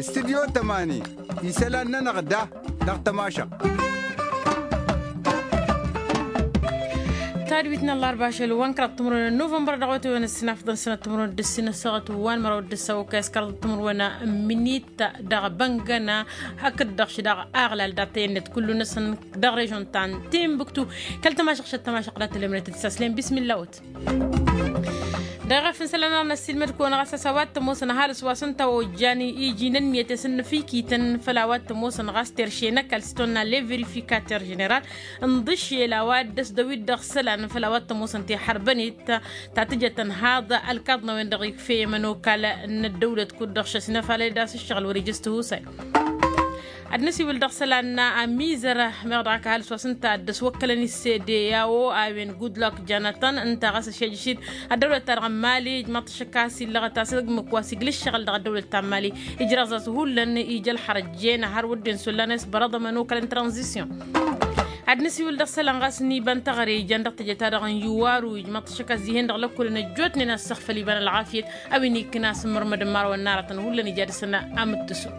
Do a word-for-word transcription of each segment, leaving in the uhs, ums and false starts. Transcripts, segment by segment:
Studyo tămani isălan-nănăɣ da dăɣ-tămašăɣt. Tadwit n-ăllarba ašăl wa n-kăraḍ timǝrwen n-novămbăr dăɣ-wătăwen ăssinafḍăn sănăt timǝrwen d-ǝssin ăssaɣăt wa n-măraw d-ăssaw ăkayăs kăraḍ timǝrwen n-minit dăɣ-băngăna hakd-dăɣ š-dăɣ aɣlal dat-tăyănnet kullu-năsăn dăɣ-režon ta n-timbuktu. Kăl-tămašăɣt šăt tămašăɣt dat-tălemnet d-saslen bismilla-wăt. Dăɣ-efăn isălan-nănăɣ n-ăssiilmăd-kăwăn ɣas a-s a-wa t-ămoosăn ăhalǝs wa s-ǝnta ojjan iji n-ǝnniyăt i-s ǝnnăfikităn făll-a-wa t-ămoosăn ɣas terše n-ăkall s-tonna le verificater ženeral n-iḍǝššel a-wa dd-ăsdăwit dăɣ-isălan făll-a-wa t-ămoosăn tiḥărbănet ta tǝjăt ănhaḍ ălkaḍ n-a-wen-dăɣ ikfey i-imănokal n-ăddăwlăt kud-dăɣ šăsnăfalăd a-s ǝššăɣǝl wăr-ija s-tihusay. Ad-nǝsiwǝl dăɣ-isălan n-amizăr meɣ dăɣ-ak ăhalǝs wa s-ǝnta a dd-ăswăkkălăn i-s d-e-a-o a-wen gudlok janatăn ǝnta ɣas ăšejăš-dd ăddăwlăt-ta-dăɣ n-mali ijmaḍ-t ašăk a-s illăɣăt a-s ǝmmǝk wa s-iglǝššăɣǝl dăɣ-ăddăwlăt ta n-mali ijraẓ-as hullan ija ălxărăjjen har wădden s-ollan a-s bărăḍămăn okălăn tranzisyon. Ad-nǝsiwǝl dăɣ-isălan ɣas n-iba n-teɣăre ijan dăɣ-teje-ta-dăɣ n-iwaru ijmaḍ-t ašăk a-s dihen-dăɣ lăkkolăn ăjjootnen a-s săɣfăl iba n-ălɣafyăt a-wen ikkǝn a-s ǝmmărmădăn imărawăn n-aratăn hullan ija dăr-săn amǝttǝsu.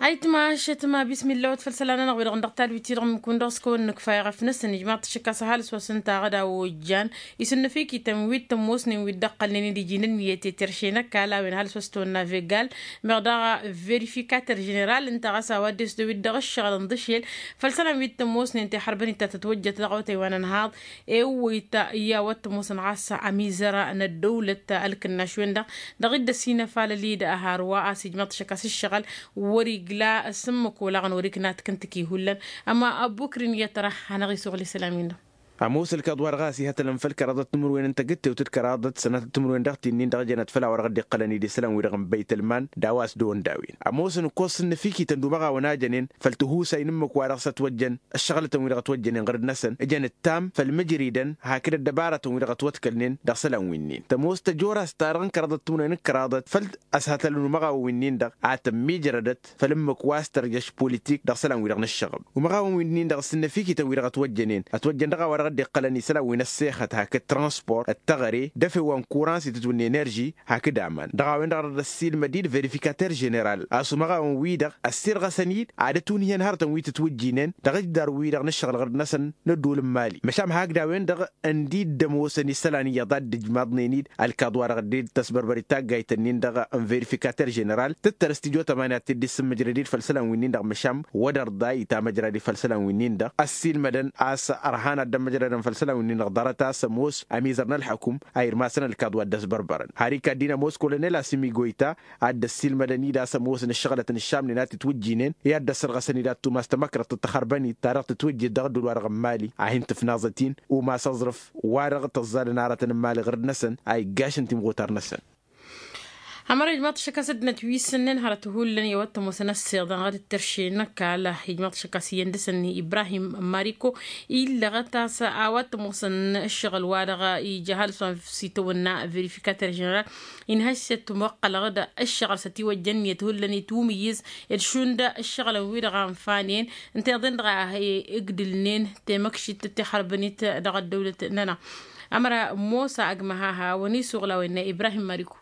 Ayǝtma ašătma bismilla-wăt făll-isălan-nănăɣ wi-dăɣ n-dăɣ tadwit-i-dăɣ ǝmmǝk-wǝn-dăɣ s-kăwăn-nǝkfa i-ɣăf-năsăn ijmaḍ-t ašăk a-s ăhalǝs wa s-ǝnta aɣădaw ojjan isǝnnăfikităn wi t-ămoosnen wi dd-ăqqălnen d-iji n-ǝnniyăt i-terše n-ăkall a-wen ăhalǝs wa s-tăwănna vegal meɣ daɣ verificater ženeral ǝnta ɣas a-wa dd-esdăwit dăɣ-ǝššăɣǝl n-iḍǝšel făll-isălan wi t-ămoosnen tiḥărbănit ta tătwăjjăt dăɣ-awătay wa n-ănhaḍ ewwăyt i-a-wa t-ămoosăn ɣas amizăr n-ăddăwlăt ălkǝnnaš-wen-dăɣ dăɣ-dd-ăsinăfalăl-dd ăharwa a-s ijmăḍ-t ašăk a-s ǝššăɣǝl wăr-igla s-ǝmmǝk olaɣăn wăr-ikna tǝkǝntǝki hullan. Ăma ăbukri n-iyyăt tăra hanăɣ-isuɣǝl isălan-win-dăɣ. Ămoos ălkaḍ wa dăɣ-a-s ihătălăn făll-kăraḍăt timǝrwen n-tagǝttewt d-kăraḍăt sănatăt timǝrwen dăɣ-tinnin dăɣ-jănăt făll-a-wa dăɣ-dd-iqqălăn-dd isălan-wi-dăɣ n-băytălman d-a-wa s-dăɣ-wăr-dăwin ămoosăn ǝkkoẓ s-ǝnnăfikităn d-umăɣawăn a jănen făll-tihusay n-ǝmmǝk wa dăɣ-s ătwăjjăn ăššăɣlătăn-wi-dăɣ ătwăjjănen ɣur-dd-năsăn ǝjăn ǝttam făll-imǝjridăn hakd ăddăbarătăn-wi-dăɣ ătwăḍkălnen dăɣ-isălan wi-nin tămoos tăjorast-ta-dăɣ n-kăraḍăt timǝrwen d-kăraḍăt făll-ăshătălăn umăɣawăn wi-nin-dăɣ a tămmijrădăt făll-ǝmmǝk wa s-tărjăš politik dăɣ-isălan-wi-dăɣ n-ǝššăɣǝb umăɣawăn wi-nin-dăɣ s-ǝnnăfikităn-wi-dăɣ ătwăjjănen ătwăjjăn dăɣ-a-wa dăɣ-dd-iqqălăn isălan wi n-ăssexăt hakd transport d-teɣăre d-efew wa n-kuran s-itǝtwǝn n-enerži hakd aman dăɣ-a-wen-dăɣ a dăr-ăssiilmăd-dd verifikater ženeral a-s umăɣawăn-wi-dăɣ ăssirɣăsăn-dd ad-ătunhǝyăn hărătăn wi tǝtwǝjjinen dăɣ-ǝjdar-wi-dăɣ n-ǝššăɣǝl ɣur-năsăn n-ădduul n-mali măšan hakd a-wen-dăɣ ǝndi dd-ămoosăn isălan iyyăḍ a dd-ǝjmaḍnen-dd ălkaḍ wa dăɣ-dd-tăsbărbărit taggayt-ǝnnin-dăɣ n-verifikatăr ženeral tǝttăr s-tijot ămani ad-t-dd-issǝmmǝjrăd-dd făll-isălan wi-nin-dăɣ măšan wăr-dăr ḍa itamăjrăd-dd făll-isălan wi-nin-dăɣ ăssiilmădăn a-s ărhan ad-dd-ămmăjrădăn făll-isălan wi-nin-dăɣ ḍarăt a-s ămoos ămizăr n-ălḥăkum a irmasăn ălkaḍ wa dd-ăsbărbărăn har ikad-dd-in ămoos kolonel asǝmi goyta a dd-ăssiilmădăn-dd a-s ămoosăn ǝššăɣlăt n-ǝššamnen a t-itwǝjjinen i-ad-dd-ăssărɣăsăn-dd ad-tumas tamăkrăḍt d-taxărbănit ta dăɣ-tǝtwǝjjǝd dăɣ-ădduul-wa-dăɣ n-mali a hin-tǝfnaẓăt-in umas aẓrǝf wa-dăɣ tăẓẓalăn aratăn n-mali ɣur-dd-năsăn a iggašăn timɣutar-năsăn. Ămăra ijmaḍ-t ašăk a-s ăddinăt wi s-ǝnnen hărăt hullan i-a-wa t-ămoosăn ăssiiḍăn ɣad ǝttărše n-ăkall ijmaḍ-t ašăk a-s iyyăn dăr-săn ibrahim mariko illăɣăt a-s a-wa t-ămoosăn ǝššăɣǝl-wa-dăɣ ija ăhalǝs wa s-itawănna verifikatăr ženeral inhăš s-ăttumăqqălăɣ-dd ǝššăɣǝl s-ătiwăjja ǝnniyăt hullan itwǝmǝyyǝz d-šund ǝššăɣǝlăn-wi-dăɣ a ănfanen ǝnta-i-dăɣ a he-ǝgdǝlnen temăkšit tihărbănit dăɣ-ăddăwlăt-nănăɣ. Ămăra mosa ăgg-măhaha wăn-isuɣǝl a-wa innă ibrahim mariko.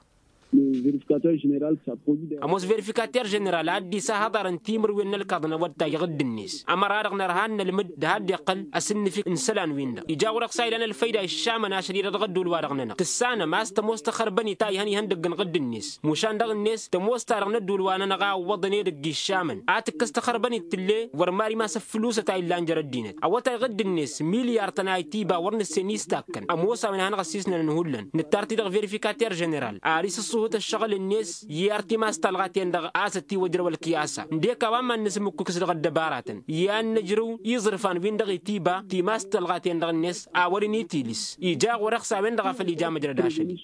Ămoos verifikater ženeral a dd-isahăḍarăn timǝrwen n-ălkaḍ n-awăttay iɣǝdd-net ămăra-dăɣ nărha ad-nălmǝd d-ha dd-iqqăl asǝnnǝfik n-isălan-win-dăɣ ija ɣur-e-dăɣ s-a ilan ălfăyda iššamăn ašăl-i dăɣ-ăddul-wa-dăɣ-nănăɣ tǝssanăm a-s tămoos taxărbănit ta ihăn ihăndăgg n-iɣǝdd-net mušan dăɣ-net tămoos-ta-dăɣ n-ăddul wa nănăɣ a ǝwwăḍăn edăgg iššamăn a tǝkkăs taxărbănit tǝlle wăr mad-imas ăffǝlǝsăt a illan jer-ăddinăt awătay iɣǝdd-net milyar-tăn a itiba wăr nǝssen istakkăn ămoos a-wen hanăɣ-ăssiisnănăn hullan nǝttar-t-i dăɣ-verifikater ženeral ar isǝṣṣuhǝt ăššăɣǝl-net i-ar timas talɣa-ten-dăɣ a-s ătiwăjrăw ălkiyasa ǝndek a-wa n-iman-năs ǝmmǝkkǝkǝs dăɣ-ăddăbara-tăn i-ad-nǝjrǝw iẓrǝfan-win-dăɣ itiba timas talɣa-ten-dăɣ-net a wăr-in-itilǝs ija ɣur-e-ɣ s-a-wen-dăɣ a făl ija măjrăd ašăl-i.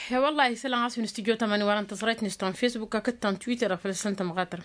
He-wăllah isălan ɣas wi n-studyo tămani wa dăɣ-n tăẓrayt-net ta n-fesbuk hakd ta n-twitter făl-săn tămɣatăr.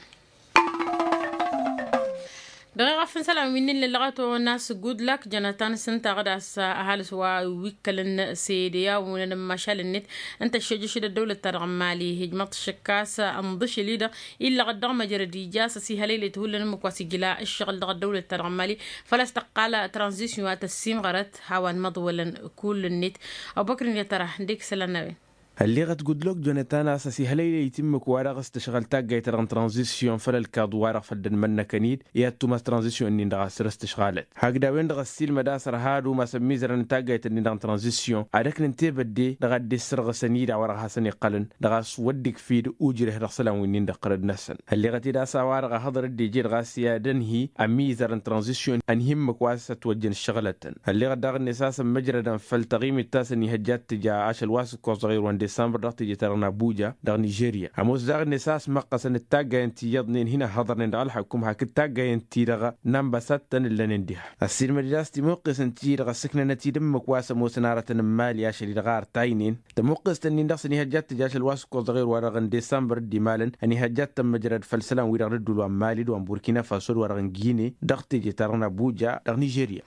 Dăɣ-eɣăf n-isălan wi n-illăɣăt onas gudlak jănătan s-ǝnta ɣǝdas ăhalǝs wa wi ǝkkălăn sede i-a unăn n-mašal-net. Ǝnta ăššejăš d-ăddăwlăt-ta-dăɣ n-mali hijmăḍ šăkkas ănḍǝšǝl-i-dăɣ illăɣăt dăɣ-măjrăd ija s-ăsihălăylăyt hullan ǝmmǝk wa s-ijla ǝššăɣǝl dăɣ-ăddăwlăt-ta-dăɣ n-mali. Făl-a-s tăqqal tranzisyon a tăssimɣărăt a-wa n-imăḍwălăn kull-net. Ăbubăkr n-i-tăra ǝndek isălan n-a-wen. Ălleɣăt gudlok jonătan a-s ăsihălăylăyt ǝmmǝk wa dăɣ-s tǝšɣăl taggayt-ta-dăɣ n-tranzisyon făll-ălkaḍ wa-dăɣ făll-dd-ănmănnăkăn-dd i-ad-tumas tranzisyon-nin-dăɣ a săr-s tǝšɣalăt hakd a-wen-dăɣ ăssiilmăd a-s ărha ad-umas ămmiizărăn n-taggayt-nin-dăɣ n-tranzisyon ad-ăknǝnte bădde dăɣ-ad-dd-issărɣǝsăn-i-dăɣ wa dăɣ-hasăn-iqqălăn dăɣ-a-s wăr dd-ikfid ujreh dăɣ-isălan wi n-indăqqărăd-năsăn. Ălleɣăt-dd a-s a-wa-dăɣ a hăḍrăd deje dăɣ-a-s i-ad-ănhǝy ămmiizărăn tranzisyon ănhǝy ǝmmǝk wa s-ătwăjjăn ǝššăɣǝlătăn. Ălleɣăt daɣ-net a-s ămmăjrădăn făll-taɣimit ta s-ănihăjja ad-tǝja ašăl wa s-ǝkkoẓăɣ irwa n-disămbăr dăɣ-teje-ta-dăɣ n-abuja dăɣ-nižerya. Ămoos daɣ-net a-s măqqăsăn d-taggayăn ti iyyăḍnen hin-ăhhăḍărnen dăɣ-ălxăkum hakd taggayăn ti-dăɣ n-ambăsad-tăn ǝllănen diha. Ăssiilmăd-dd a-s timuqqesăn ti-dăɣ ăssǝknănăt-dd ǝmmǝk wa s-ămoosăn aratăn n-imali ašăl-i-dăɣ a ărtaynen. Tămuqqest-ǝnnin-dăɣ s-ănihăjja ad-tǝj ašăl wa s-ǝkkoẓăɣ irwa-dăɣ n-disămbăr dd-imalăn ănihăjja ad-tămmăjrăd făll-isălan-wi-dăɣ dd-ǝddul wa n-mali d-wa n-burkina faso d-wa-dăɣ n-gine dăɣ-teje-ta-dăɣ n-abuja dăɣ-nižerya.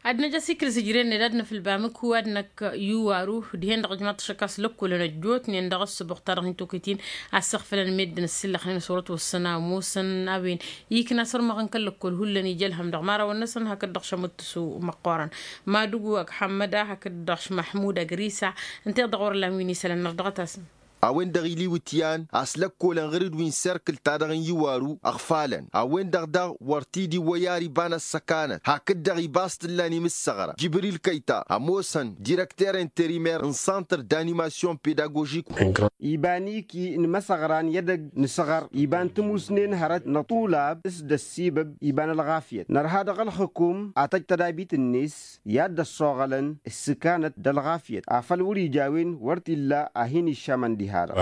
Ad-năj ăsikǝl s-ǝjrăyăn-dd ad-nǝfǝl bamǝk wa d-năkk iwaru dihen-dăɣ ǝjmaḍ-t ašăk a-s lăkkolăn ăjjootnen dăɣ-ăssăbuɣ-ta-dăɣ n-tokăyt-in a ăssăɣfălăn meddǝn ăssiillăxnen s-wărăt wăssăn a ămoosăn a-wen ikna sărmăɣ n-kăl-lăkkol hullan ija ălhăm dăɣ-imărawăn-năsăn hakd-dăɣ šămuttus măqqoorăn madugu ăgg ḥămmăda hakd-dăɣ š-măḥmud ăgg risa. Ǝnta iḍăɣ wăr-ăllan wi n-isălan nărdăɣăt-asăn. A-wen-dăɣ iliwǝt i-an a-s lăkkolăn ɣǝr-dd wi n-serkǝl-ta-dăɣ n-iwaru ăɣfalăn a-wen-dăɣ daɣ wăr t-dd-iwwăy ar iba n-ăssăkanăt hakd-dăɣ iba a-s t-ǝllan imǝssăɣra jibril kăyta ămoosăn direkter interimer n-santr d-animasyon pedagožik. Iba n-iki n-imăsăɣra n-i edăgg n-asăɣăr iba n-timusnen hărăt n-aṭulab s-dd-ăssibăb iba n-ălɣafyăt nărha dăɣ-ălxǝkum ad-tăj tădabit-net i-ad-dd-ăṣṣoɣălăn ǝssǝkanăt d-ălɣafyăt afăl wăr-ija a-wen wăr t-illa a hin-iššamăn diha-dăɣ.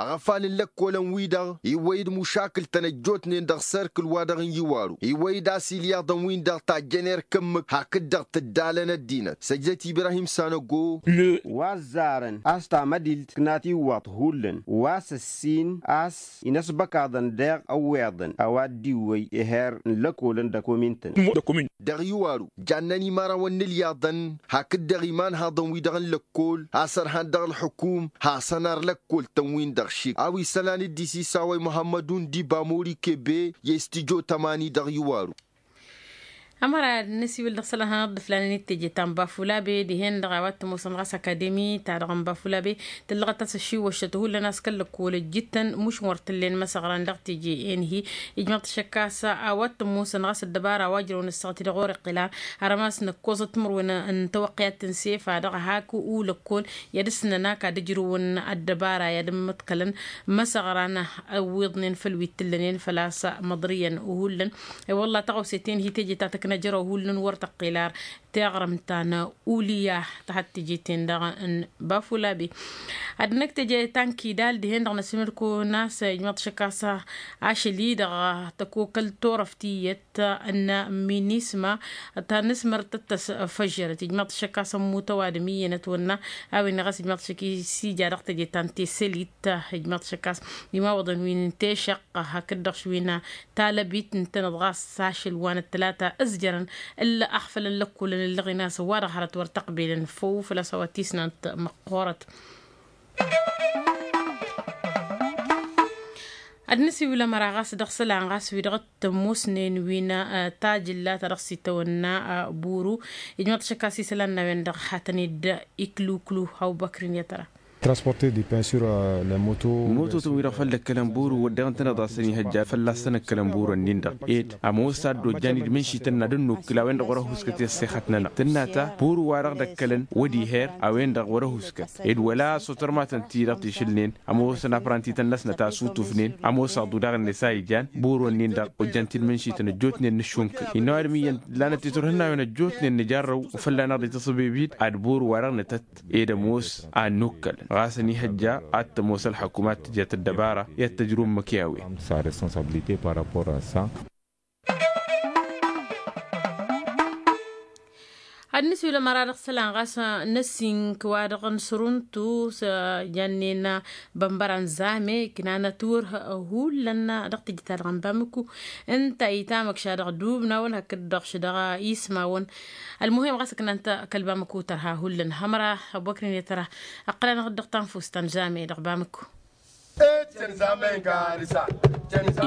Aɣăfal n-lăkkolăn-wi-dăɣ iwwăy-dd mušakǝl-tăn ăjjootnen dăɣ-serkǝl-wa-dăɣ n-iwaru iwwăy-dd a-s ilyaḍăn-win-dăɣ tajjăn erk ǝmmǝk hakd-dăɣ tǝddalăn ăddinăt săjdăt ibrahim sanăgo. Wa ăzzarăn a-s tamădilt tǝknat iwwaḍ hullan wa s-ăssin a-s inăsbăkaḍăn deɣ ăwweḍăn a-wa dd-iwwăy eher n-lăkolăn d-akomin-tăn. Dăɣ-iwaru jannăn imărawăn n-ilyaḍăn hakd-dăɣ imanhaḍăn-wi-dăɣ n-lăkkol a-s ărhan dăɣ-ălxukum hasăn-ar lăkkol-tăn-win-dăɣ šik a-wa isălan dd-isisawăy muhămmădun d-ibamori kebe i-s tijo tămani dăɣ-iwaru. Ămăra ad-nǝsiwǝl dăɣ-isălan hanăɣ-dd-ǝflanen d-teje ta n-bafulabe dihen-dăɣ a-wa t-ămoosăn ɣas akademi-ta-dăɣ n-bafulabe tǝllăɣăt-as ăššiwwăššăt hullan a-s kăl-lăkkol ăjjǝttăn muš n-wăr t-ǝllen măsăɣran dăɣ-teje enhi. Ijmăḍ-t ašăk a-s a-wa t-ămoosăn ɣas ăddăbara wa ǝjrăwăn ăssaɣăt-i-dăɣ wăr-iqqǝla. Hărămas năkkoẓăt timǝrwen n-tawăqqǝyat n-sefa-dăɣ hak ulăkkol i-ad-ǝssǝnăn ak ad-ǝjrǝwăn ăddăbara i-ad-ǝmmǝḍkălăn măsăɣran ăwwiḍnen făll-wi t-ǝllănen făl-a-s măḍrǝyăn. Hullan i-wălla tăɣawse-ten hi-teje ta tăkna jăraw hullan wăr tăqqel ar teɣrǝmt ta n-ulǝya ta had-teje-ten-dăɣ n-bafulabe. Ad-năkk teje ta n-kidal dihen-dăɣ năsmǝlko n-a-s ijmăḍ šăkk a-s ašăl-i-dăɣ tăkokăl torăft iyyăt n-minisma ta n-asmăr tăt-tăsfăžžărăt ijmăḍ šăkk a-s ămmut ăwadǝm iyyăn ătwănna. A-wen ɣas ijmăḍ šăkk isija dăɣ-teje ta n-tesălit ijmăḍ šăkk a-s imawăḍăn wi n-tešăqqa hakd-dăɣ š-wi n-talăbit ǝntăneḍ ɣas ašăl wa n-ăttălata ǝzjărăn ǝlla ăɣfălăn lăkkolăn ǝllăɣen a-s ăwadăɣ hărăt wăr tăqbelăn făw făl-a-s a-wa t-isnant măqqoorăt. Ad-nǝsiwǝl ămăra ɣas dăɣ-isălan ɣas wi-dăɣ t-ămoosnen wi n-tajǝlla ta dăɣ-s itawănna buru. Ijmăḍ šăkk a-s isălan n-a-wen-dăɣ hatăn-dd-ikluklu. Abubăkr-in i-ad-tăra. Transporter du pain sur le moto. Mototăn wi-dăɣ făl dd-ăkkălăn buru wădden tănăḍ-asăn ihăjja fălla-s tăn-ăkkălăn buru-nin-dăɣ ed ămoos ad-dd-ojjan-dd mǝnšităn n-ad-ănnukǝl a-wen-dăɣ wăr-ăhuskăt i-ăssexăt-nănăɣ tǝnna ta buru-wa-dăɣ dd-ăkkălăn wăr-iher a-wen-dăɣ wăr-ăhuskăt ed wăla s-otărmatăn-ti-dăɣ tišǝlnen ămoosăn aprantităn-năsnăt a sutufnen ămoos aḍu daɣ-net a ijan buru-nin-dăɣ ojjan-t-dd mǝnšităn ăjjootnen nǝššunkǝl innă ăwadǝm iyyăn lanăt titurhǝnnawen ăjjootnen nǝjarrăw. Fălla-năɣ dd-itasǝbibid ad-buru-wa-dăɣ nǝtăt ed ămoos a ănnukkălăn ɣas ănihăjja ad-t-ămoos ălxăkum ad-tǝjăt ăddăbara i-ad-t-ăjrǝw ǝmmǝk i-a-wen. Sa responsabilite par rapport a sa. Ad-nǝsiwǝl ămăra dăɣ-isălan ɣas n-ăsink wa-dăɣ n-săruntu s-jannen bănbăra n-zame iknan ătwǝrh, hullan dăɣ-tijǝt-ta-dăɣ n-bamǝku. Ǝnta itamăkša dăɣ-dubnawăn hakd-dăɣ š-dăɣ-ismawăn. Ălmuhim ɣas ǝknan-t kăl-bamǝku tărha hullan hămăra. Ăbwăkrin i-tăra ăqqăl-anăɣ-dd dăɣ-tanfust ta n-zame dăɣ-bamǝku.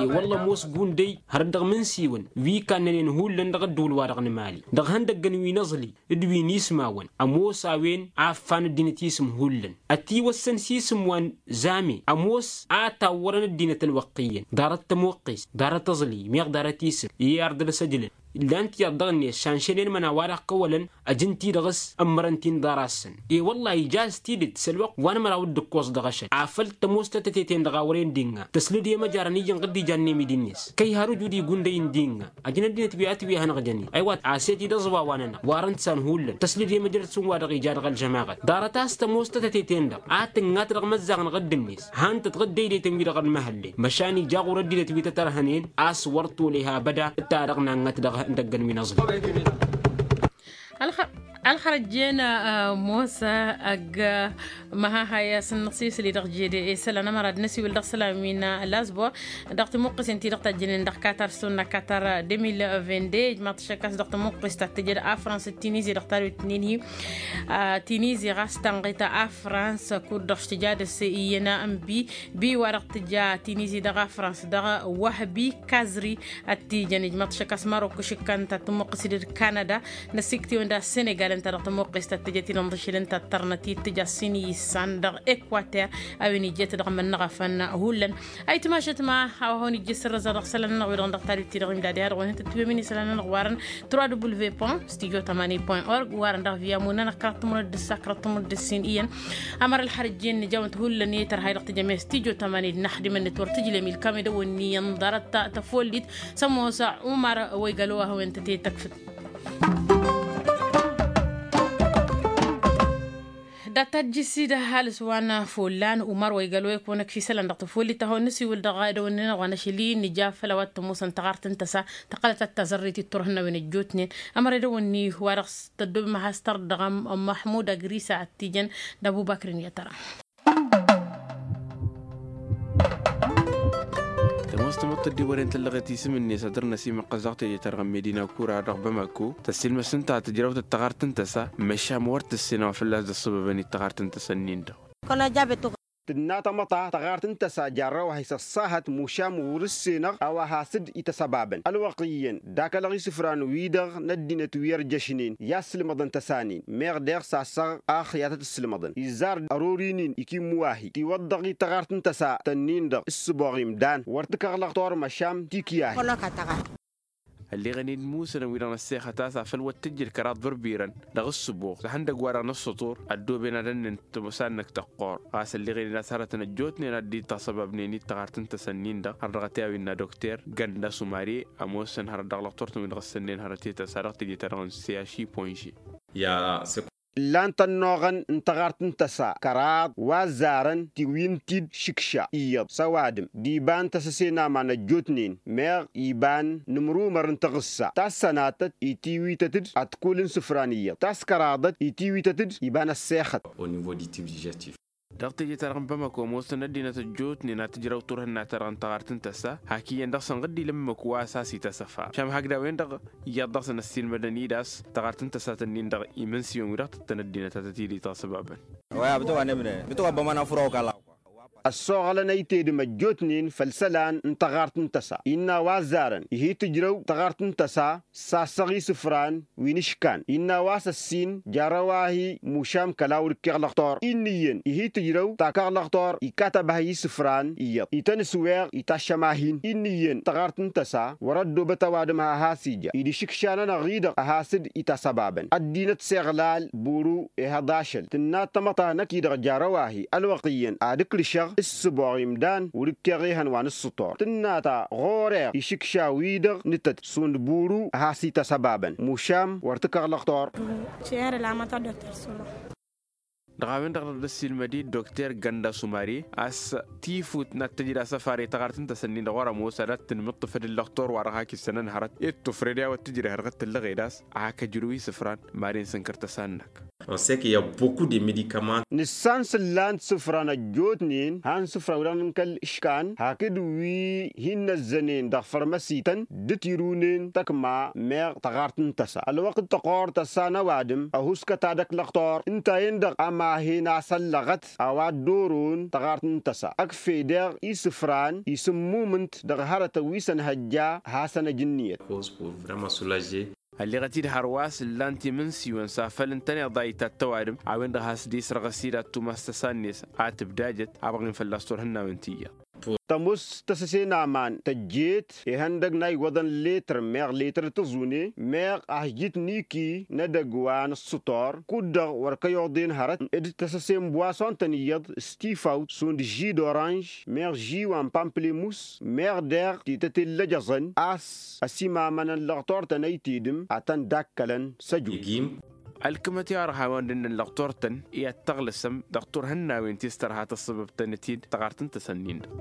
E-wălla ămoos gundăy hărăt dăɣ-imǝnsiwăn wi kannănen hullan dăɣ-ăddǝwǝl-wa-dăɣ n-emali dăɣ-ihăndăggăn wi n-aẓli d-wi n-ismawăn ămoos a-wen a ǝffan ăddinăt isǝm hullan. Ătiwăssăn s-isǝm wa n-zame ămoos a tawwărăn ăddinăt ălwăqq iyyăn ḍarăt tămoqqest ḍarăt aẓli meɣ ḍarăt isǝm i-ardăl ăsăjlăn. Illan tiyyăḍ dăɣ-net šanšănen imăna wa dăɣ-kăwălăn ăj ǝnta-i-dăɣ s-ămmărăn-t-in ḍarasăn. E-wăllah ija a-s tidǝt s-ălwăqq wa n-ămăraw d-ǝkkoẓ dăɣ-ašăl afăl tămoos tătăte-ten-dăɣ a wăren dinga tăslǝd i-măjarăn iyyăn ɣǝddija n-emidi-net kăy-har ǝjud igunday n-dinga. Ăjnăt dinăt wi a tǝwihănăɣ jănen ăywat a-s i-ti d-aẓwa wa-nănăɣ warăn-t san hullan tăslǝd i-măjrăd s-ǝnn wa dăɣ-ija dăɣ-ălžămaɣăt ḍarăt a-s tămoos tătăte-ten-dăɣ a tǝngat dăɣ-imăzzaɣ n-ɣǝdd-net. Han-tăt ɣǝddăydăytăn wi-dăɣ ănmăhăllen măšan ija ɣur-ăddinăt wi tăt-ărhănen a-s wăr tole ha ăbăda. D-ta-dăɣ nanɣăt dăɣ-ihăndăggăn wi n-aẓli. Ălxărăjjen mosa ăgg măhaha i-asǝnnăɣ s-isǝli dăɣ-jede isălan ămăra d-năsiwǝl dăɣ-isălan wi n-lazbor dăɣ-timuqqǝsen ti-dăɣ tajjănen dăɣ-katar s-tăwănna katar deux mille vingt-deux ijmaḍ-t šăkkas dăɣ-timuqqǝst ta t-tǝjăd a frans d-tinizi dăɣ-tadwit n-inhi. Tinizi ɣas tanɣit a frans kud-dăɣ s-tǝja dăr-s iyyăn n-bi bi wa dăɣ-tǝja tinizi dăɣ-a frans dăɣ-wăhbi kazri. Ad-t-ijăn ijmăḍ šăkkas marok išǝkkan ta tămuqqǝs-dd kanada. Năsiktewăn d-a senegal ǝnta dăɣ-tămuqqǝs ta t-tǝjăt-dd ǝnḍǝšǝl ǝnta ăttărnăt i-tǝja s-inǝyyǝssan dăɣ-ekwater a-wen ijjet dăɣ-mănnăɣ afăn hullan. Ayǝtmašăt ma a-wa hawăn-ijjǝs sǝrrăza dăɣ-isălan-nănăɣ wi-dăɣ dăɣ-tadǝt-ti-dăɣ imdad i-ad-dăɣ-wăn hintăt wi-min isălan-nănăɣ warăn trois w point studio tămani point org warăn dăɣ-via munănăɣ kăraḍ tămurăt d-ǝssa kăraḍ tămurăt d-ǝssin iyyăn. Ămăra ălxărăt jen nǝja-wăn-t hullan i-tărha i-dăɣ tǝjăm i-studio tămani d-naxdimăn-net wăr tǝjlem ilkam i-dăɣ-wănni i-ănḍarăt tăfollit. S-ămoos umar wa igălo a hawăn-tăt i-tăkfǝt. Dat-tajjǝs-i d-ăhalǝs wa n-follan umar wa igălo i-kăwăn-ăkf isălan dăɣ-tăfollit a hawăn-nǝsiwǝl dăɣ-edăwănni-nănăɣ wa n-ašăl-i nǝja făll-a-wa t-ămoosăn taɣart n-tăsa. Tăqqălăt ad-tazărrit i-turhǝnnawen ăjjootnen ămăra edăwănni wa dăɣ-s tăddob imăhastăr dăɣ-măḥmud agrisa ad-t-ijăn d-abubakrin i-ad-tăra. Tămoos tamăḍt tăddiwăren tăllăɣet isǝm-net ad-dăr-năsimăqqăs dăɣ-teje-ta-dăɣ n-medina kura dăɣ-bamako tăssilmăs ǝnta tǝjrăw-tăt taɣart n-tăsa. Măšan wăr tǝssin a-wa fălla-s dd-ăṣṣăbăbăn i-taɣart n-tăsa-nin-dăɣ. Tǝnna tamăḍt taɣart n-tăsa jarrăw-ahi s-ăṣṣahăt mušam wăr-ǝssenăɣ a-wa has-dd-ităsăbabăn ălwăqq iyyăn d-akălăɣ isǝfran-wi-dăɣ n-ăddinăt wi ărjăšnen i-ad-sǝlmăḍăn tăsa-nin meɣ deɣ sasăɣ ax i-ad-tăt-ǝssǝlmăḍăn izzar ărori-nin ikimmu-ahi tiwăḍḍăɣ i-taɣart n-tăsa-tăn-nin-dăɣ ǝssǝboɣ imdan wăr t-kăɣlăɣ tormăšam tikǝy-ahi. Ălleɣen-dd musănăn wi-dăɣ năssexăt a-s afăl wăr t-ǝjjǝd kăraḍ bărbirăn dăɣ-ǝssǝboɣ s-ihăndăgg-wa-dăɣ n-ǝssǝṭur ăddooben ad-ănnen tămosa-năk tăqqor. Ɣas ălleɣen-dd a-s hărătăn ăjjootnen ad-dd-itasăbabnen i-taɣart n-tăsăn-in-dăɣ har dăɣ-t i-a-wa innă dokter gănda sumare. Ămoosăn hărăt dăɣ-lăqtor-tăn wi-dăɣ ǝssănnen hărăt i-tăsa dăɣ-teje-ta-dăɣ n-seaši ponže. Ǝllan-t ănnuɣăn n-taɣart n-tăsa kăraḍ wa ăzzarăn tiwǝyǝn-t-dd šǝkša iyyăḍ s-ăwadǝm d-iba n-tăsăse n-aman ăjjootnen meɣ iba n-imrumăr n-taɣǝssa tassănatăt itiwităt-dd ătkull n-isǝfran iyyăḍ taskăraḍăt itiwităt-dd iba n-ăssexăt. Au niveau du tube digestif. Dăɣ-teje-ta-dăɣ n-bamako ămoosăn ăddinăt ăjjootnen ad-tǝjrăw turhǝnna-ta-dăɣ n-taɣart n-tăsa hak iyyăn dăɣ-săn ɣǝddil ǝmmǝk wa s-has-ităsăfa šam hak d-a-wen-dăɣ iyyăḍ dăɣ-săn ăssiilmădăn-dd a-s taɣart n-tăsa-tăn-in-dăɣ imǝnsiwăn wi dăɣ-tǝttăn ăddinăt a tăt-dd-itasăbabăn. Ăssoɣălăn a itedǝm ăjjootnen făll-isălan n-taɣart n-tăsa innă a-wa ăzzarăn ihi tǝjrăw taɣart n-tăsa sasăɣ isǝfran wi n-iškan innă a-wa s-ăssin jarrăw-ahi mušam kăla wăr-ǝkkeɣ lăɣtor inn'-iyyăn ihi tǝjrăw takăɣ lăɣtor ikatăb-ahi isǝfran iyyăḍ ităn-ǝsweɣ itaššăm-ahin inn'-iyyăn taɣart n-tăsa wăr-ăddoobăt ăwadǝm ha has-ija idǝšǝkša-nănăɣ-i-dăɣ a has-dd-itasăbabăn ăddinăt s-iɣlal buru. Ehăḍ ašăl tǝnna tamăḍt ta năkk-i-dăɣ jarrăw-ahi ălwăqq iyyăn ad-ǝkrǝšăɣ ǝssǝboɣ imdan wăr-ǝkkeɣ ehăn wa n-ǝssǝṭor tǝnna ta ɣur-eɣ išǝkša-wi-dăɣ nǝtăt šund buru a has-ităsăbabăn mušam wăr t-kăɣ lăɣtor. Šer lamăta doktor sura. Dăɣ-a-wen-dăɣ dăɣ-dd-ăssiilmăd-dd dokter gănda sumari a-s tifut n-ad-tǝjrǝ asăfar i-taɣart n-tasănnin dăɣ-wăr ămoos ad-ad-tǝnmǝṭṭǝfăd ǝllăɣtor wa dăɣ-hak isănăn hărăt i-dd-tufred i-a-wa t-tǝjrǝ hărăt tǝllăɣed a-s a hak ăjrǝw isǝfran. Mad-e n-sǝnkăr tăsa-năk. Nǝssan s-ǝllan isǝfran ăjjootnen han isǝfran wi-dăɣ n-kăl-ǝškan hakd wi hin-năzzănen dăɣ-fărmăsităn dd-tirunen tăkma meɣ taɣart n-tăsa ălwăqq d-tăqor tăsa n-ăwadǝm ăhuskăt ad-ăklăɣtor ǝnta yen-dăɣ ămahen a-s ăllăɣăt a-wa dd-oron taɣart n-tăsa ăkf'-e deɣ isǝfran isǝmmumǝnt dăɣ-hărătăn wi s-ănhăjja. Hasăn-ăj ǝnniyăt. Ălleɣăt-dd hărwa s-ǝllan timǝnsiwăn s-afăl ǝntăneḍ a itat tăwadǝm a-wen-dăɣ has-dd-isrăɣăs-dd ad-tumas tăsa-net a tǝbdajăt. Abăɣin fălla-s turhǝnnawen ti iyyăḍ. Tămoos tăsăse n-aman tăjjeet ihăndăg n-a iwwăḍăn letr meɣ letr tǝẓune meɣ a has-jitniki n-edăgg wa n-ǝssǝtor kud-dăɣ wăr kăy-oḍen hărăt d-tăsăse n-bwason-tăn iyyăḍ s-tifawt šund ži d-oranž meɣ ži wa n-pamplemus meɣ deɣ tităte n-lăjăẓăn a-s ăsimamăn ăllăɣtor-tăn ăytedǝm ad-tăn-dd-akkălăn. S-ăjut. Ălkǝmăt i-orhan wa n-dănnăn lăɣtor-tăn i-ad-tăɣlăsăm dăɣ-turhǝnnawen ti s-tărha tăssăbăb-tăn-t-dd taɣart n-tăsănnin-dăɣ.